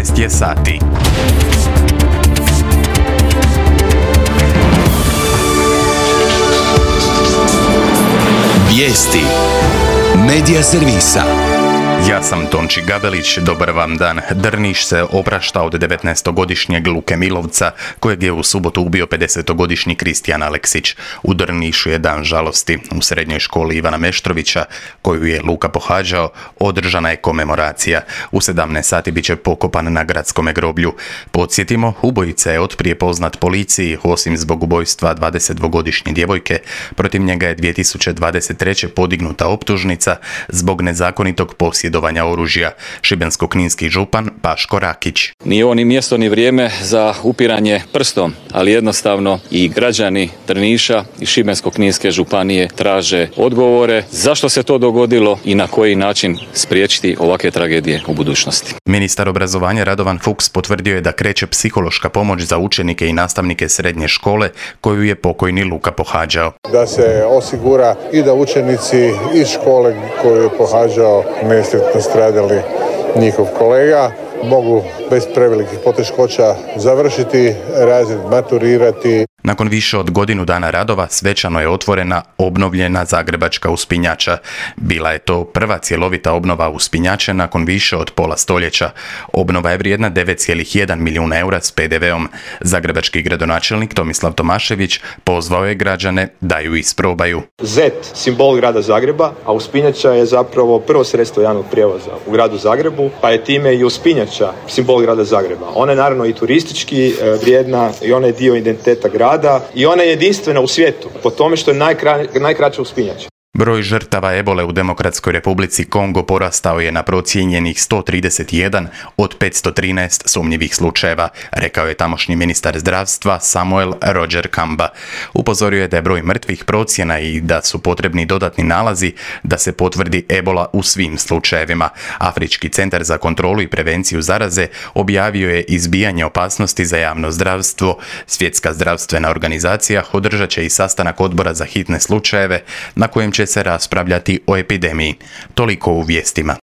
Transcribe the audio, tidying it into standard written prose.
12 je sati. Vijesti Medija servisa. Ja sam Tonči Gabelić, dobar vam dan. Drniš se oprašta od 19-godišnjeg Luke Milovca, kojeg je u subotu ubio 50-godišnji Kristijan Aleksić. U Drnišu je dan žalosti. U srednjoj školi Ivana Meštrovića, koju je Luka pohađao, održana je komemoracija. U 17 sati bit će pokopan na gradskome groblju. Podsjetimo, ubojica je otprije poznat policiji, osim zbog ubojstva 22-godišnje djevojke. Protiv njega je 2023. podignuta optužnica zbog nezakonitog posjedovanja oružja. Šibensko-kninski župan Paško Rakić. Nije ovo ni mjesto ni vrijeme za upiranje prstom, ali jednostavno i građani Drniša i Šibensko-kninske županije traže odgovore zašto se to dogodilo i na koji način spriječiti ovakve tragedije u budućnosti. Ministar obrazovanja Radovan Fuchs potvrdio je da kreće psihološka pomoć za učenike i nastavnike srednje škole koju je pokojni Luka pohađao. Da se osigura i da učenici iz škole koju je pohađao nesretno stradali njihov kolega mogu bez prevelikih poteškoća završiti razred, maturirati. Nakon više od godinu dana radova svečano je otvorena obnovljena zagrebačka uspinjača. Bila je to prva cjelovita obnova uspinjače nakon više od pola stoljeća. Obnova je vrijedna 9,1 milijuna eura s PDV-om. Zagrebački gradonačelnik Tomislav Tomašević pozvao je građane da ju isprobaju. Zet, simbol grada Zagreba, a uspinjača je zapravo prvo sredstvo javnog prijevoza u gradu Zagrebu, pa je time i uspinjača simbol grada Zagreba. Ona je naravno i turistički vrijedna i ona je dio identiteta grada i ona je jedinstvena u svijetu po tome što je najkraća uspinjača. Broj žrtava ebole u Demokratskoj Republici Kongo porastao je na procijenjenih 131 od 513 sumnjivih slučajeva, rekao je tamošnji ministar zdravstva Samuel Roger Kamba. Upozorio je da je broj mrtvih procjena i da su potrebni dodatni nalazi da se potvrdi ebola u svim slučajevima. Afrički centar za kontrolu i prevenciju zaraze objavio je izbijanje opasnosti za javno zdravstvo. Svjetska zdravstvena organizacija održat će i sastanak odbora za hitne slučajeve na kojem će se raspravljati o epidemiji. Toliko u vijestima.